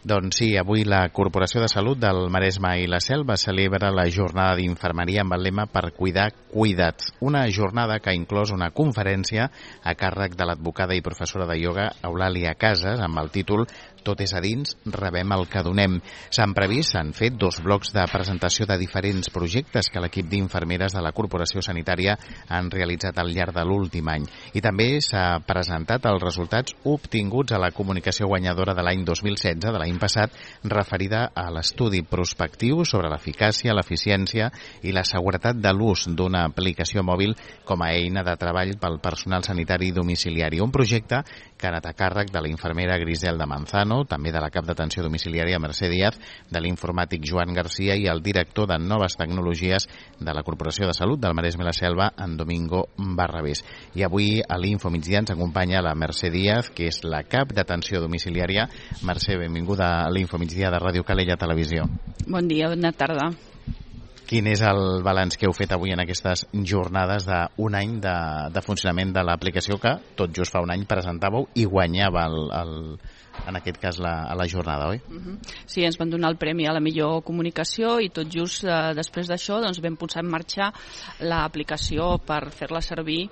Doncs sí, avui la Corporació de Salut del Maresme i la Selva celebra la jornada d'infermeria amb el lema Per cuidar, cuidats. Una jornada que ha inclòs una conferència a càrrec de l'advocada i professora de ioga Eulàlia Casas amb el títol Tot és a dins, rebem el que donem. S'han fet 2 blocs de presentació de diferents projectes que l'equip d'infermeres de la Corporació Sanitària han realitzat al llarg de l'últim any. I també s'ha presentat els resultats obtinguts a la comunicació guanyadora de l'any 2016, de l'any passat, referida a l'estudi prospectiu sobre l'eficàcia, l'eficiència i la seguretat de l'ús d'una aplicació mòbil com a eina de treball pel personal sanitari domiciliari. Un projecte que ha anat a càrrec de la infermera Griselda Manzano, també de la cap d'atenció domiciliària Mercè Díaz, de l'informàtic Joan Garcia i el director de Noves Tecnologies de la Corporació de Salut del Maresme i la Selva, en Domingo Barrabés. I avui a l'Info Migdia ens acompanya la Mercè Díaz, que és la cap d'atenció domiciliària. Mercè, benvinguda a l'Info Migdia de Ràdio Calella Televisió. Bon dia, bona tarda. Quin és el balanç que heu fet avui en aquestes jornades d'un any de funcionament de l'aplicació que tot just fa un any presentàveu i guanyava en aquest cas a la jornada, oi? Sí, ens van donar el premi a la millor comunicació i tot just després d'això vam posar en marxa l'aplicació per fer-la servir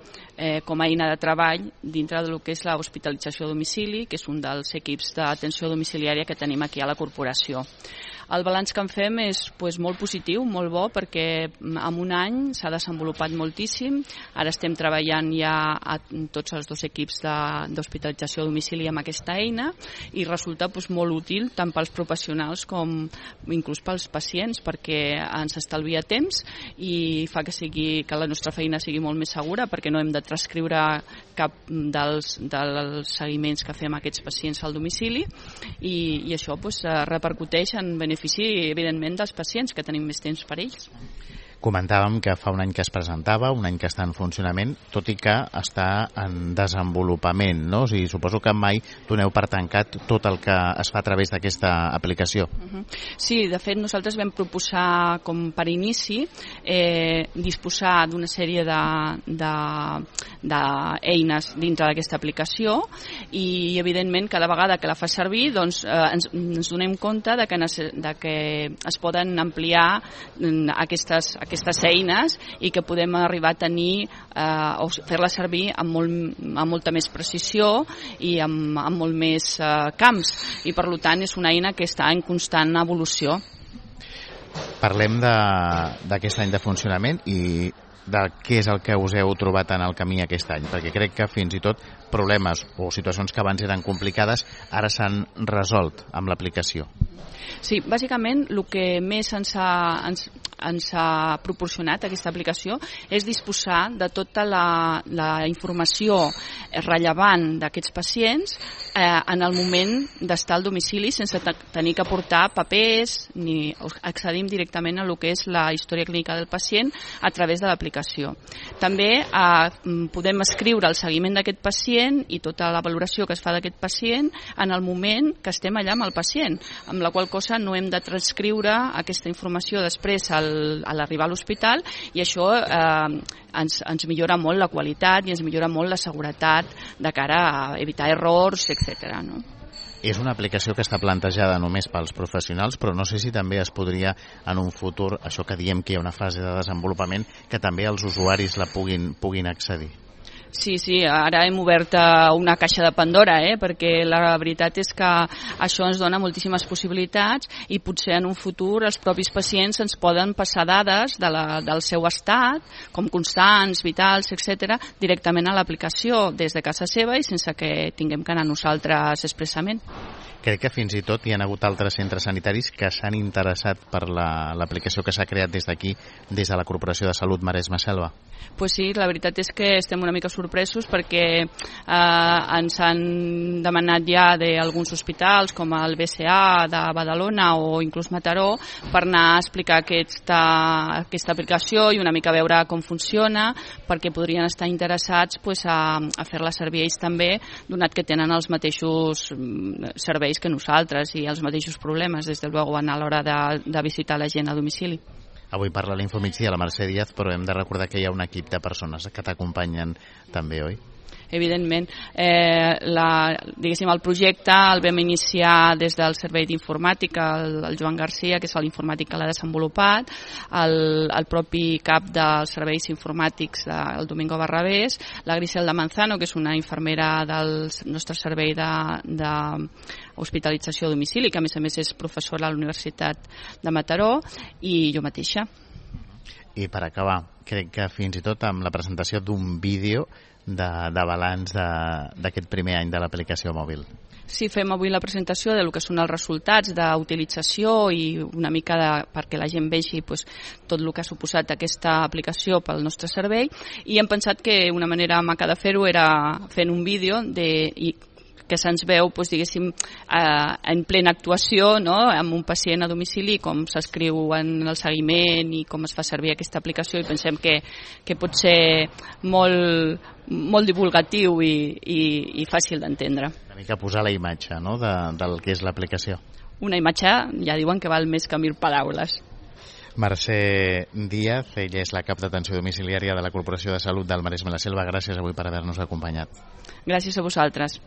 com a eina de treball dintre del que és l'hospitalització a domicili, que és un dels equips d'atenció domiciliària que tenim aquí a la corporació. El balanç que en fem és molt positiu, molt bo, perquè en un any s'ha desenvolupat moltíssim. Ara estem treballant ja a tots els 2 equips d'hospitalització a domicili amb aquesta eina i resulta molt útil tant pels professionals com inclús pels pacients, perquè ens estalvia temps i fa que la nostra feina sigui molt més segura, perquè no hem de transcriure cap dels seguiments que fem a aquests pacients al domicili i això repercuteix en benefici, evidentment, dels pacients, que tenim més temps per ells. Comentàvem que fa un any que es presentava, un any que està en funcionament, tot i que està en desenvolupament, no? O sigui, suposo que mai doneu per tancat tot el que es fa a través d'aquesta aplicació. Sí, de fet, nosaltres vam proposar com per inici disposar d'una sèrie d'eines dintre d'aquesta aplicació i, evidentment, cada vegada que la fa servir ens donem compte que es poden ampliar aquestes eines i que podem arribar a tenir o fer-la servir amb molta més precisió i amb molt més camps i per tant és una eina que està en constant evolució. Parlem d'aquest any de funcionament i de què és el que us heu trobat en el camí aquest any, perquè crec que fins i tot problemes o situacions que abans eren complicades ara s'han resolt amb l'aplicació. Sí, bàsicament el que més ens ha proporcionat aquesta aplicació és disposar de tota la informació rellevant d'aquests pacients en el moment d'estar al domicili sense tenir que portar papers ni accedim directament a el que és la història clínica del pacient a través de l'aplicació. També podem escriure el seguiment d'aquest pacient i tota la valoració que es fa d'aquest pacient en el moment que estem allà amb el pacient, amb la qual cosa no hem de transcriure aquesta informació després a l'arribar a l'hospital i això ens millora molt la qualitat i ens millora molt la seguretat de cara a evitar errors, etc. No? És una aplicació que està plantejada només pels professionals, però no sé si també es podria en un futur, això que diem que hi ha una fase de desenvolupament, que també els usuaris la puguin accedir. Sí, ara hem obert una caixa de Pandora, perquè la veritat és que això ens dona moltíssimes possibilitats i potser en un futur els propis pacients ens poden passar dades del seu estat, com constants, vitals, etc., directament a l'aplicació des de casa seva i sense que tinguem que anar nosaltres expressament. Crec que fins i tot hi ha hagut altres centres sanitaris que s'han interessat per l'aplicació que s'ha creat des d'aquí, des de la Corporació de Salut Maresme Selva. Pues sí, la veritat és que estem una mica sorpresos perquè ens han demanat ja d'alguns hospitals com el BCA de Badalona o inclús Mataró per anar a explicar aquesta aplicació i una mica veure com funciona perquè podrien estar interessats a fer-la servir ells també, donat que tenen els mateixos serveis que nosaltres i els mateixos problemes, des de luego, a l'hora de visitar la gent a domicili. Avui parla l'Info Migdia la Mercè Díaz, però hem de recordar que hi ha un equip de persones que t'acompanyen també, oi? evidentment. Diguéssim, el projecte el vam iniciar des del servei d'informàtica, el Joan Garcia, que és l'informàtic que l'ha desenvolupat, el propi cap dels serveis informàtics, el Domingo Barrabés, la Griselda Manzano, que és una infermera del nostre servei d'hospitalització a domicili, que a més és professora a la Universitat de Mataró, i jo mateixa. I per acabar, crec que fins i tot amb la presentació d'un vídeo de balanç d'aquest primer any de l'aplicació mòbil. Sí, fem avui la presentació de lo que són els resultats d'utilització i una mica perquè la gent vegi tot el que ha suposat aquesta aplicació pel nostre servei, i hem pensat que una manera maca de fer-ho era fent un vídeo que se'ns veu, diguéssim, en plena actuació, no?, amb un pacient a domicili, com s'escriu en el seguiment i com es fa servir aquesta aplicació, i pensem que pot ser molt divulgatiu i fàcil d'entendre. Una mica posar la imatge, no?, del que és l'aplicació. Una imatge, ja diuen que val més que 1000 paraules. Mercè Díaz, ella és la cap d'atenció domiciliària de la Corporació de Salut del Maresme i la Selva. Gràcies avui per haver-nos acompanyat. Gràcies a vosaltres.